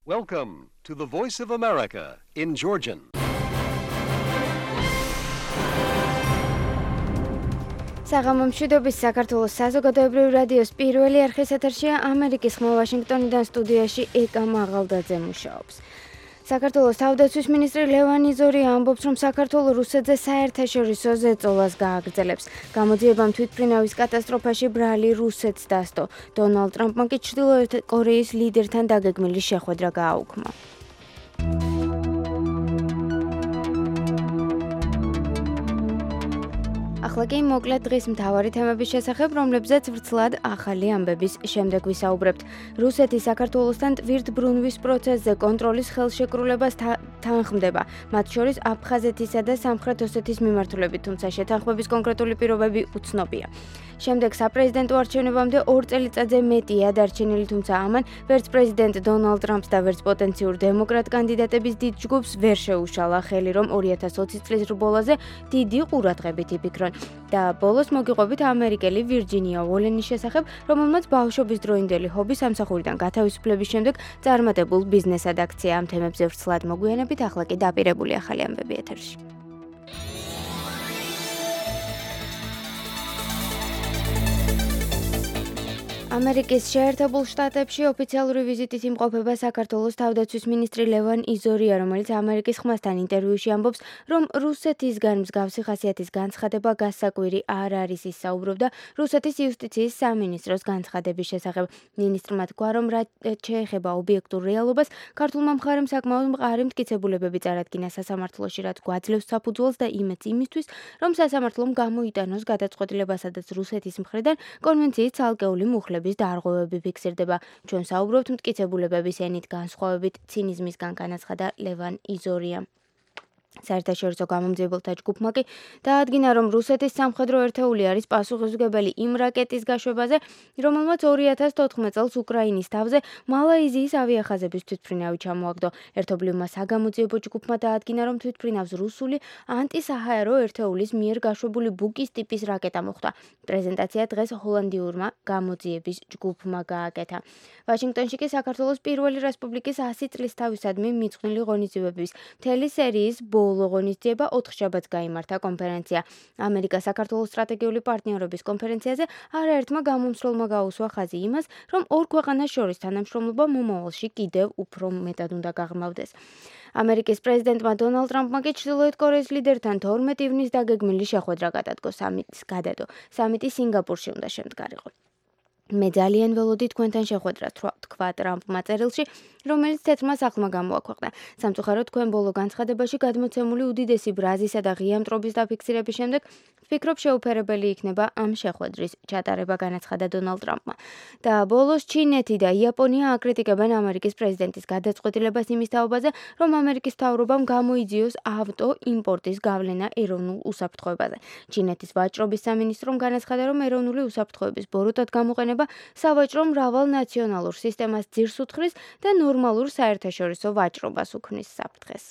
Welcome to the Voice of America in Georgian. საღამომშვიდობის საქართველოს საზოგადოებრივი რადიოს პირველი არხის ეთერშია ამერიკის ხმა ვაშინგტონიდან სტუდიაში ეკა მაღალდაძე მუშაობს. საქართველოს თავდაცვის მინისტრი ლევან იზორია ამბობს, რომ საქართველო რუსეთზე საერთაშორისო ზეწოლას გააგრძელებს. გამოძიებამ თვითმფრინავის კატასტროფაში ბრალი რუსეთს დასდო. დონალდ ტრამპმა კი ჩრდილოეთ კორეის ლიდერთან დაგეგმილი შეხვედრა გააუქმა. ახლა კი მოკლედ დღის მთავარი თემების შესახებ, რომლებზეც ვრცლად ახალი ამბების შემდეგ ვისაუბრებთ. რუსეთი საქართველოსთან ტვირთბრუნვის პროცესზე კონტროლის ხელშეკრულებას თანხმდება, მათ შორის აფხაზეთისა და სამხრეთ ოსეთის მიმართულებით, თუმცა შეთანხმების კონკრეტული პირობები უცნობია. შემდეგ საპრეზიდენტო არჩევნებამდე 2 წელიწადზე მეტია დარჩენილი, თუმცა ამან ვერც პრეზიდენტ დონალდ ტრამპს და ვერც პოტენციურ დემოკრატ კანდიდატების დიდ ჯგუფს ვერ შეუშალა ხელი, რომ 2020 წლის რბოლაზე დიდი ყურადღებით იფიქრონ. და ბოლოს მოგიყვებით ამერიკელი ვირჯინია უოლენის შესახებ, რომელმაც ბავშვობის დროინდელი ჰობი სამსახურიდან გათავისუფლების შემდეგ წარმატებულ ბიზნესად აქცია. ამ თემებზე ვრცლად მოგვიანებით, ახლა კი დაპირებული ახალი ამბები ეთერში. ამერიკის შეერთებულ შტატებში ოფიციალური ვიზიტით იმყოფება საქართველოს თავდაცვის მინისტრი ლევან იზორია, რომელიც ამერიკის ხმასთან ინტერვიუში ამბობს, რომ რუსეთისგან მსგავსი ხასიათის განცხადება გასაკვირი არ არის. ის საუბრობდა რუსეთის იუსტიციის სამინისტროს განცხადების შესახებ. მინისტრმა თქვა, რომ რაც შეეხება ობიექტურ რეალობას, ქართულმა მხარემ საკმაოდ მყარი მტკიცებულებები წარადგინა სასამართლოში, რაც გვაძლევს საფუძველს და იმედს იმისთვის, რომ სასამართლომ გამოიტანოს გადაწყვეტილება, სადაც რუსეთის მხრიდან კონვენციის ცალკეული მუხლების დარღვევები ფიქსირდება. ჩვენ საუბრობთ მტკიცებულებების ენით განსხვავებით ცინიზმისგან, განაცხადა ლევან იზორია. საერთაშორისო გამომძიებელთა ჯგუფმა კი დაადგინა, რომ რუსეთის სამხედრო ერთეული არის პასუხისმგებელი იმ რაკეტის გაშვებაზე, რომელმაც 2014 წელს უკრაინის თავზე მალაიზიის ავიახაზების თვითმფრინავი ჩამოაგდო. ერთობლივმა საგამოძიებო ჯგუფმა დაადგინა, რომ თვითმფრინავს რუსული ანტისაჰაერო ერთეულის მიერ გაშვებული ბუკის ტიპის რაკეტა მოხვდა. პრეზენტაცია დღეს ჰოლანდიურმა გამოძიების ჯგუფმა გააკეთა. ვაშინგტონში კი საქართველოს პირველი რესპუბლიკის 100 წლისთავისადმი მიძღვნილი ღონისძიებების მთელი სერიის ბოლო ღონისძიება 4 შაბათს გაიმართა კონფერენცია. ამერიკა-საქართველოს სტრატეგიული პარტნიორობის კონფერენციაზე არაერთმა გამომსვლელმა გაუსვა ხაზი იმას, რომ ორ ქვეყანას შორის თანამშრომლობა მომავალში კიდევ უფრო მეტად უნდა გაღრმავდეს. ამერიკის პრეზიდენტმა დონალდ ტრამპმა კი ჩრდილოეთ კორეის ლიდერთან 12 ივნის დაგეგმილი შეხვედრა გადადგო. სამიტი სინგაპურში უნდა შემდგარიყო. მე ძალიან ველოდი თქვენთან შეხვედრა, თქვა ტრამპმა წერილში, რომელიც თეთრმა სახლმა გამოაქვეყნა. სამწუხაროდ, თქვენ ბოლო განცხადებაში გადმოცემული უდიდესი ბრაზისა და ღია მტრობის დაფიქსირების შემდეგ ვფიქრობ შეუფერებელი იქნება ამ შეხვედრის ჩატარება, განაცხადა დონალდ ტრამპმა. და ბოლოს ჩინეთი და იაპონია აკრიტიკებენ ამერიკის პრეზიდენტის გადაწყვეტილებას იმის თაობაზე, რომ ამერიკის მთავრობამ გამოიძიოს ავტო იმპორტის გავლენა ეროვნულ უსაფრთხოებაზე. ჩინეთის ვაჭრობის სამინისტრომ განაცხადა, რომ ეროვნული უსაფრთხოების ბოროტად გამოყენება სავაჭრო მრავალ ნაციონალურ სისტემას ძირს უთხრის და ნორმალურ საერთაშორისო ვაჭრობას უქმნის საფრთხეს.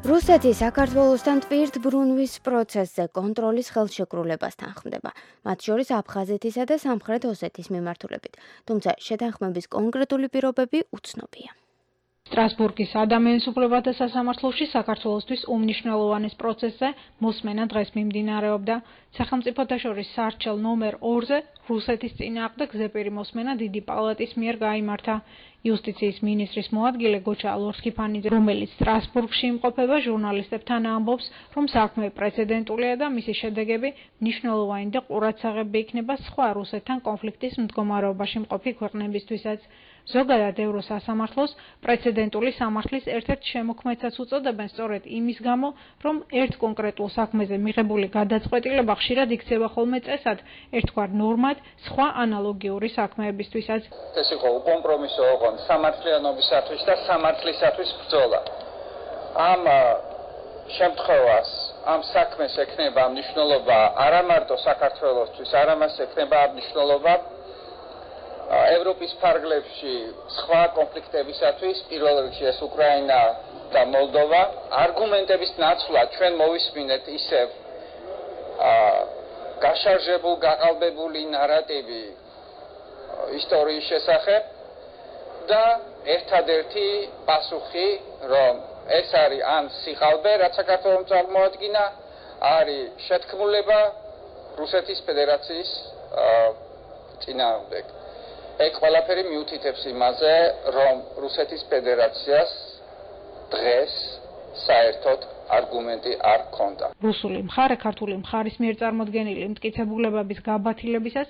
რუსეთი საქართველოსთან ტვირთბრუნვის პროცესზე კონტროლის ხელშეკრულებას თანხმდება, მათ შორის აფხაზეთისა და სამხრეთ ოსეთის მიმართულებით, თუმცა შეთანხმების კონკრეტული პირობები უცნობია. სტრასბურგის ადამიანის უფლებათა სასამართლოში საქართველოსთვის უმნიშვნელოვანეს პროცესზე მოსმენა დღეს მიმდინარეობდა. სახელმწიფოთა შორის სარჩელ ნომერ 2-ზე რუსეთის წინააღმდეგ გზეპირი მოსმენა დიდი პალატის მიერ გაიმართა. იუსტიციის მინისტრის მოადგილე გოჩა ლორსკიფანიძე, რომელიც სტრასბურგში იმყოფება, ჟურნალისტებთან ამბობს, რომ საქმე პრეცედენტულია და მისი შედეგები მნიშვნელოვანი და ყურადსაღები იქნება სხვა რუსეთთან კონფლიქტის მდგომარეობაში მყოფი ქვეყნებისთვისაც. ზოგადად ევროსასამართლოს პრეცედენტული სამართლის ერთ-ერთ შემოქმედსაც უწოდებენ სწორედ იმის გამო, რომ ერთ კონკრეტულ საქმეზე მიღებული გადაწყვეტილება ხშირად იქცევა ხოლმე წესად, ერთგვარ ნორმად სხვა ანალოგიური საქმეებისთვისაც. ეს იყო უკომპრომისო ოღონდ სამართლიანობისათვის და სამართლისათვის ბრძოლა. ამ შემთხვევას, ამ საქმეს ექნება მნიშვნელობა არა მარტო საქართველოსთვის, არამედ ექნება მნიშვნელობა ევროპის ფარგლებში სხვა კონფლიქტებისათვის, პირველ რიგში ეს უკრაინა და მოლდოვა. არგუმენტების ნაცვლად ჩვენ მოვისმინეთ ისევ გაშარჟებულ, გაყალბებული ნარატივი ისტორიის შესახებ და ერთადერთი პასუხი, რომ ეს არის ან სიყალბე, რაც საქართველოს წარმოადგინა, არის შეთქმულება რუსეთის ფედერაციის წინააღმდეგ. ეგ ყველაფერი მიუთითებს იმაზე, რომ რუსეთის ფედერაციას დღეს საერთოდ არგუმენტი არ ქონდა. რუსული მხარე ქართული მხარის მიერ წარმოდგენილი მტკიცებულებების გაბათილებისას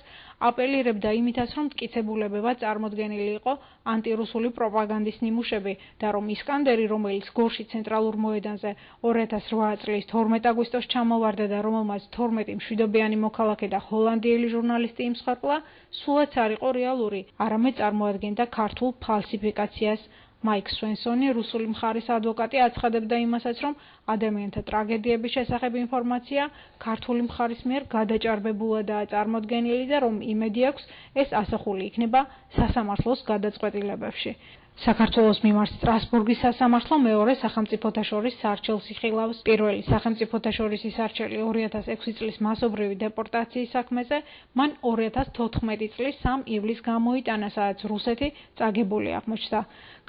აპელირებდა იმითაც, რომ მტკიცებულებებად წარმოდგენილი იყო ანტირუსული პროპაგანდის ნიმუშები და რომ ისკანდერი, რომელიც გორში ცენტრალურ მოედანზე 2008 წლის 12 აგვისტოს ჩამოვარდა და რომელმაც 12 მშვიდობიანი მოქალაქე და ჰოლანდიელი ჟურნალისტი იმსხვრდლა, სულაც არ იყო რეალური, არამედ წარმოადგენდა ქართულ ფალსიფიკაციას. მაიკ სვენსონი, რუსული მხარის ადვოკატი, აცხადებდა იმასაც, რომ ადამიანთა ტრაგედიების შესახებ ინფორმაცია ქართული მხარის მიერ გადაჭარბებულადაა წარმოდგენილი და რომ იმედი აქვს, ეს ასახული იქნება სასამართლოს გადაწყვეტილებებში. საქართველოს მიმართ სტრასბურგის სასამართლო მეორე სახელმწიფოთა შორის სარჩელს იხილავს. პირველი სახელმწიფოთა შორის ისარჩელი 2006 წლის მასობრივი დეპორტაციის საქმეზე, მან 2014 წლის 3 ივლისს გამოიტანა, სადაც რუსეთი წაგებული აღმოჩნდა.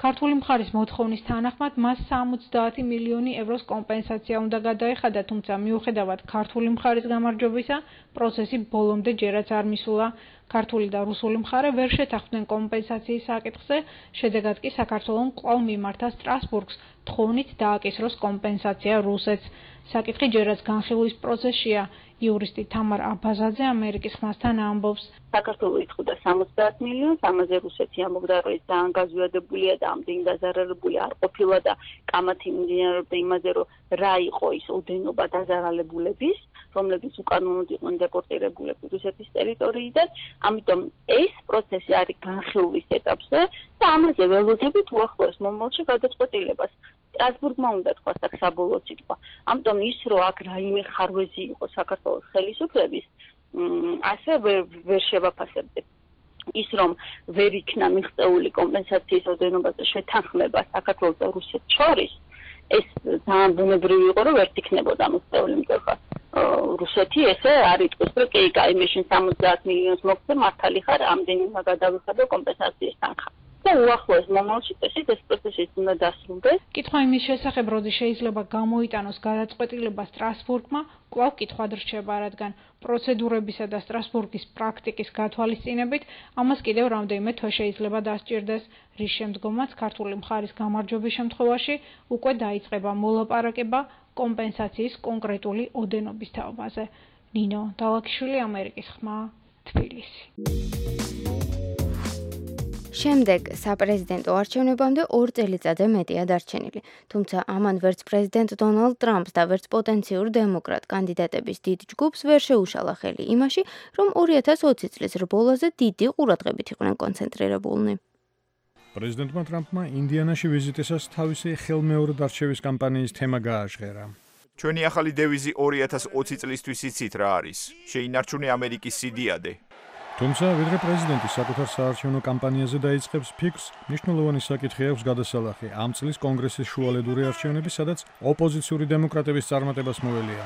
ქართული მხარის მოთხოვნის თანახმად მას 70 მილიონი ევროს კომპენსაცია უნდა გადაეხადა, თუმცა მიუხედავად ქართული მხარის გამარჯვებისა, პროცესი ბოლომდე ჯერაც არ მისულა. ქართული და რუსული მხარე ვერ შეთანხმდნენ კომპენსაციის საკითხზე, შედეგად კი საქართველომ კვლავ მიმართა სტრასბურგს თხოვნით დააკისროს კომპენსაცია რუსეთს. საკითხი ჯერაც განხილვის პროცესშია. იურისტი თამარ აბაზაძე ამერიკის ხმასთან ამბობს. საქართველო ითხოვდა 70 მილიონს, ამაზე რუსეთი ამბობდა, რომ ეს ძალიან გაზვიადებულია და ამდენი დაზარალებული არ ყოფილა და კამათი მიმდინარეობდა იმაზე, რომ რა იყო ის ოდენობა დაზარალებულების, რომლებიც უკანონოდ იყვნენ დეპორტირებულები რუსეთის ტერიტორიიდან. ამიტომ ეს პროცესი არის განხილვის ეტაპზე და ამაზე ველოდებით უახლოეს მომავალში გადაწყვეტილებას. სტრასბურგმა უნდა თქვას აქ საბოლოო სიტყვა. ამიტომ ის, რომ აქ რაიმე ხარვეზი იყო საქართველოს ხელისუფლების, ასე ვერ შევაფასებდეთ. ის, რომ ვერ იქნა მიღწეული კომპენსაციის ოდენობაზე შეთანხმება საქართველოს და რუსეთს შორის, ეს ძალიან ბუნებრივი იყო, რომ ვერ იქნებოდა მიღწეული, იმიტომ რომ რუსეთი ესე არ იტყვის, რომ კი, მაშინ 70 მილიონს მოგცე, მართალი ხარ, ამდენი გადავიხადო კომპენსაციის თანხა. და უახლოეს მომავალში ეს პროცესი უნდა დასრულდეს. კითხვა იმის შესახებ, როდის შეიძლება გამოიტანოს გადაწყვეტილება სტრასბურგმა, კვლავ კითხვად რჩება, რადგან პროცედურებისა და სტრასბურგის პრაქტიკის გათვალისწინებით ამას კიდევ რამდენიმე თვე შეიძლება დასჭირდეს, რის შემდგომაც ქართული მხარის გამარჯვების შემთხვევაში უკვე დაიწყება მოლაპარაკება კომპენსაციის კონკრეტული ოდენობის თაობაზე. ნინო დალაქიშვილი, ამერიკის ხმა, თბილისი. შემდეგ საპრეზიდენტო არჩევნებამდე 2 წელიწადზე მეტია დარჩენილი. თუმცა ამან ვერც პრეზიდენტ დონალდ ტრამპს და ვერც პოტენციურ დემოკრატ კანდიდატების დიდ ჯგუფს ვერ შეუშალა ხელი იმაში, რომ 2020 წლის რბოლაზე დიდი ყურადღებით იყვნენ კონცენტრირებულნი. პრეზიდენტმა ტრამპმა ინდიანაში ვიზიტისას თავისი ხელმეორედ არჩევის კამპანიის თემა გააჟღერა. ჩვენი ახალი დევიზი 2020 წლისთვის იცით რა არის? შეინარჩუნე ამერიკის სიდიადე. თუმცა, ვიდრე პრეზიდენტი საკუთარ საარჩევნო კამპანიაზე დაიწყებს ფიქრს, მნიშვნელოვანი საკითხი აქვს გადასალახი ამ წლის კონგრესის შუალედური არჩევნები, სადაც ოპოზიციური დემოკრატების წარმატებას მოელია.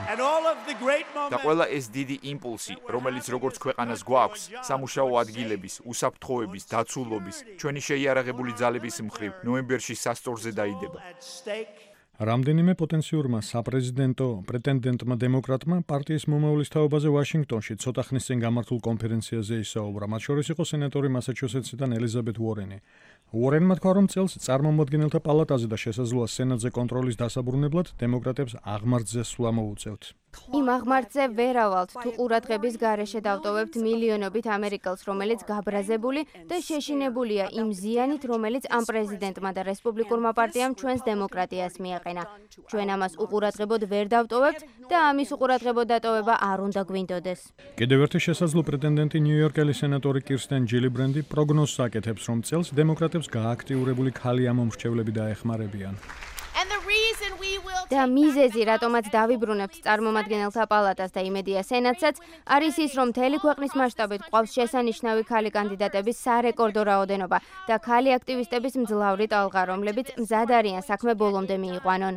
და ყველა ეს დიდი იმპულსი, რომელიც როგორც ქვეყანას გვაქვს, სამუშაო ადგილების, უსაფრთხოების, დაცულობის, ჩვენი შეიარაღებული ძალების მხრივ ნოემბერში სასწორზე დაიდება. რამდენიმე პოტენციურმა საპრეზიდენტო პრეტენდენტმა დემოკრატმა პარტიის მომავლის თაობაზე ვაშინგტონში ცოტა ხნის წინ გამართულ კონფერენციაზე ისაუბრა. მათ შორის იყო სენატორი მასაჩუსეტსიდან ელიზაბეთ უორენი. უორენმა თქვა, რომ წელს წარმომადგენელთა პალატაზე და შესაძლოა სენატზე კონტროლის დასაბრუნებლად დემოკრატებს აღმართზე სვლა მოუწევთ. იმ აღმართზე ვერავალთ, თუ ყურადღების გარეშე დავტოვებთ მილიონობით ამერიკელს, რომელიც გაბრაზებული და შეშინებულია იმ ზიანით, რომელიც ამ პრეზიდენტმა და რესპუბლიკურმა პარტიამ ჩვენს დემოკრატიას მიაყენა. ჩვენ ამას უყურადღებოდ ვერ დავტოვებთ და ამის უყურადღებოდ დატოვება არ უნდა გვინდოდეს. კიდევ ერთი შესაძლო პრეტენდენტი ნიუ-იორკელი სენატორი კირსტენ ჯილიბრენდი პროგნოზს აკეთებს, რომ წელს დემოკრატებს გააქტიურებული ქალი ამომრჩევლები დაეხმარებიან. და მიზეზი, რატომაც დავიბრუნებთ წარმომადგენელთა პალატას და იმედია სენატსაც, არის ის, რომ მთელი ქვეყნის მასშტაბით ყავს შესანიშნავი khali კანდიდატების სარეკორდო რაოდენობა და khali აქტივისტების მძლავრი ტალღა, რომლებიც მზად არიან საქმე ბოლომდე მიიყვანონ.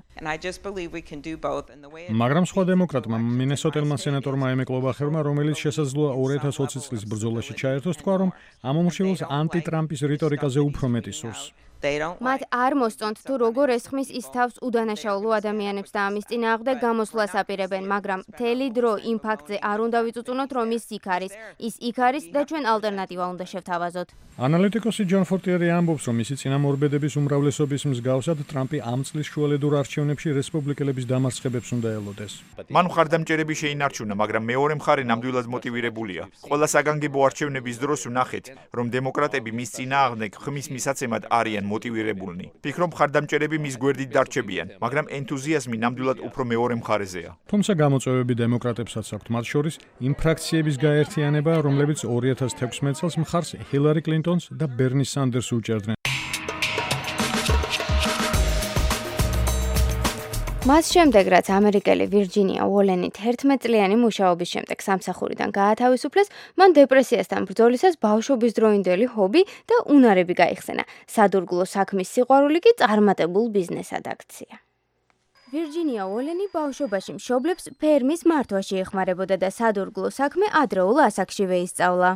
მაგრამ სხვა დემოკრატმა მინესოტელმა სენატორმა ემი კლობახერმა, რომელიც შესაძლოა 2020 წლის ბრძოლაში ჩაერთოს, თქვა, რომ ამ უმრჩეველს ანტი-ტრამპის რიტორიკაზე უფრო მეტი სურს. მათ არ მოსწონთ თუ როგორ ესხმის ის თავს უდანაშაულო ადამიანებს და ამის წინააღმდეგ გამოსვლას აპირებენ, მაგრამ მთელი დრო იმ ფაქტზე არ უნდა ვიწუწუნოთ, რომ ის იქ არის და ჩვენ ალტერნატივა უნდა შევთავაზოთ. ანალიტიკოსი ჯონ ფორტიერი ამბობს, რომ მისი წინამორბედების უმრავლესობის მსგავსად ტრამპი ამ წლის შუალედურ არჩევნებში რესპუბლიკელების დამარცხებებს უნდა ელოდეს. მან მხარდამჭერები შეინარჩუნა, მაგრამ მეორე მხარე ნამდვილად მოტივირებულია. ყველა საგანგებო არჩევნების დროს ვნახეთ, რომ დემოკრატები მის წინააღმდეგ ხმის მისაცემად არიან მოტივირებულნი. ვფიქრობ, მხარდამჭერები მის გვერდით დარჩებიან, მაგრამ ენთუზიაზმი ნამდვილად უფრო მეორე მხარეზეა. თუმცა გამოწვევები დემოკრატებსაც აქვთ, მათ შორის იმ ფრაქციების გაერთიანება, რომლებიც 2016 წელს მხარს ჰილარი კლინტონს და ბერნი სანდერსს უჭერდნენ. მას შემდეგ, რაც ამერიკელი ვირჯინია უოლენი 11 წლიანი მუშაობის შემდეგ სამსახურიდან გაათავისუფლეს, მან დეპრესიასთან ბრძოლისას ბავშვობის დროინდელი ჰობი და უნარები გაიხსენა. სადურგლო საქმის სიყვარული კი წარმატებულ ბიზნესად აქცია. ვირჯინია უოლენი ბავშვობაში მშობლებს ფერმის მართვაში ეხმარებოდა და სადურგლო საქმე ადრეულ ასაკშივე ისწავლა.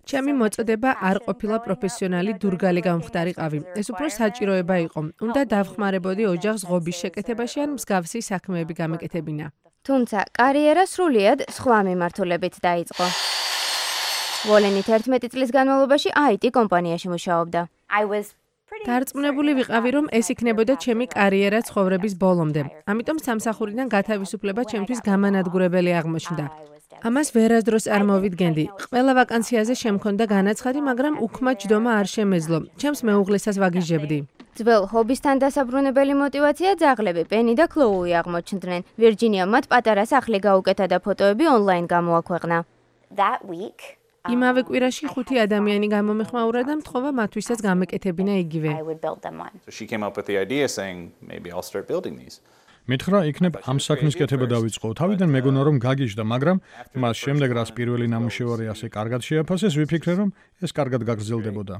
ჩემი მოწოდება არ ყოფილა პროფესიონალი დურგალი გამხდარიყავი. ეს უფრო საჭიროება იყო. უნდა დავხმარებოდი ოჯახს ღობის შეკეთებაში ან მსგავსი საქმეები გამეკეთებინა. თუმცა კარიერა სრულიად სხვა მიმართულებით დაიწყო. უოლენი 11 წლის განმავლობაში IT კომპანიაში მუშაობდა. დარწმუნებული ვიყავი, რომ ეს იქნებოდა ჩემი კარიერა ცხოვრების ბოლომდე. ამიტომ სამსახურიდან გათავისუფლება ჩემთვის გამანადგურებელი აღმოჩნდა. ამას ვერასდროს არ მოვიდგენდი. ყველა ვაკანციაზე შემქონდა განაცხადი, მაგრამ უქმა ჯდომა არ შემეძლო. ჩემს მეუღლესაც ვაგიჟებდი. ძველ ჰობისთან დასაბრუნებელი მოტივაცია ძაღლები პენი და ქლოუი აღმოჩნდნენ. ვირჯინიამ მათ პატარა სახლი გაუკეთა და ფოტოები ონლაინ გამოაქვეყნა. იმავე კვირაში 5 ადამიანი გამომეხმაურა და მთხოვა მათთვისაც გამეკეთებინა იგივე. მითხრა, იქნებ ამ საქმის კეთება დავიწყო. თავიდან მეგონა რომ გაგიჟდა, მაგრამ მას შემდეგ რაც პირველი ნამუშევარი ასე კარგად შეაფასეს, ვიფიქრე, რომ ეს კარგად გაგრძელდებოდა.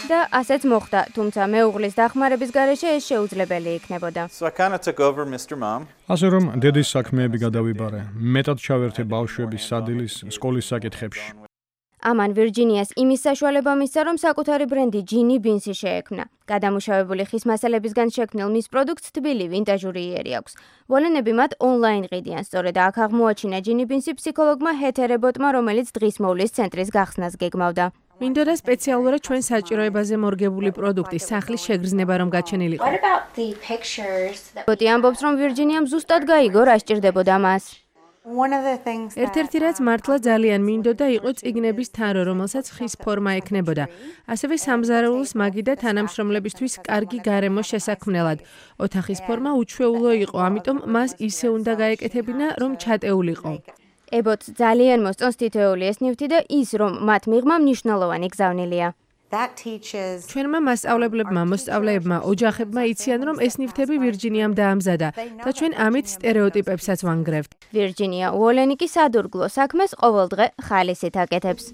და ასეც მოხდა, თუმცა მეუღლის დახმარების გარეშე ეს შეუძლებელი იქნებოდა. ასე რომ დედის საქმეები გადავიბარე. მეტად ჩავერთე ბავშვების სადილის სკოლის საკითხებში. ამან ვირჯინიას იმის საშუალება მისცა, რომ საკუთარი ბრენდი ჯინი ბინსი შეექმნა. გადამუშავებული ხის მასალებისგან შექმნილ მის პროდუქტს თბილი ვინტაჟური იერი აქვს. უოლენები მათ ონლაინ ყიდიან, სწორედ აქ აღმოაჩინა ჯინი ბინსი ფსიქოლოგმა ჰეთერ ებოტმა, რომელიც დღის მოვლის ცენტრის გახსნას გეგმავდა. მინდოდა სპეციალურად ჩვენ საჭიროებაზე მორგებული პროდუქტი სახლის შეგრძნება რომ გაჩენილიყო. ებოტი ამბობს, რომ ვირჯინიამ ზუსტად გაიგო, რა სჭირდებოდა მას. ერთ-ერთი რაც მართლა ძალიან მინდოდა იყო წიგნების თარო, რომელსაც ხის ფორმა ექნებოდა. ასევე სამზარეულოს მაგი და თანამშრომლებისთვის კარგი გარემო შესაქმნელად. ოთახის ფორმა უჩვეულო იყო, ამიტომ მას ისე უნდა გაეკეთებინა, რომ ჩატეულიყო. ებოტს ძალიან მოსწონს თითოეული ეს ნივთი და ის, რომ მათ მიღმა მნიშვნელოვანი გზავნილია. ჩვენმა მასწავლებლებმა, მოსწავლეებმა, ოჯახებმა იციან, რომ ეს ნივთები ვირჯინიამ დაამზადა და ჩვენ ამით სტერეოტიპებსაც ვანგრევთ. ვირჯინია უოლენი კი სადურგლო საქმეს ყოველდღე ხალისით აკეთებს.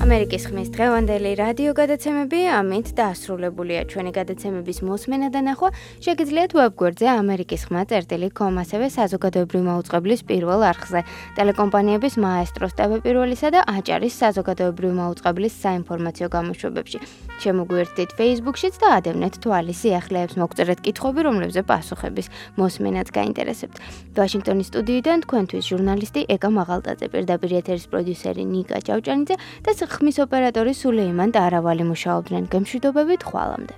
ამერიკის ხმის დღევანდელი რადიო გადაცემები ამით დასრულებულია. ჩვენი გადაცემების მოსმენა და ნახვა შეგიძლიათ ვებგვერდზე amerikisxma.com, ასევე საზოგადოებრივი მაუწყებლის პირველ არხზე, ტელეკომპანიების მაესტროს ტევ-პირველისა და აჭარის საზოგადოებრივი მაუწყებლის საინფორმაციო გამოშვებებში. შემოგვიერთდით Facebook-შიც და ადევნეთ თვალის სიახლეებს, მოგწერეთ კითხვები, რომლებზე პასუხების მოსმენაც გაინტერესებთ. ვაშინგტონის სტუდიიდან თქვენთვის ჟურნალისტი ეკა მაღალტაძე, პირდაპირ ეთერის პროდიუსერი ნიკა ჭავჭანიძე და ხმის ოპერატორი სულეიმან ტარავალი მუშაობდნენ. გემშვიდობებით, ხვალამდე.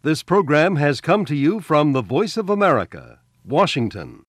This program has come to you from the Voice of America, Washington.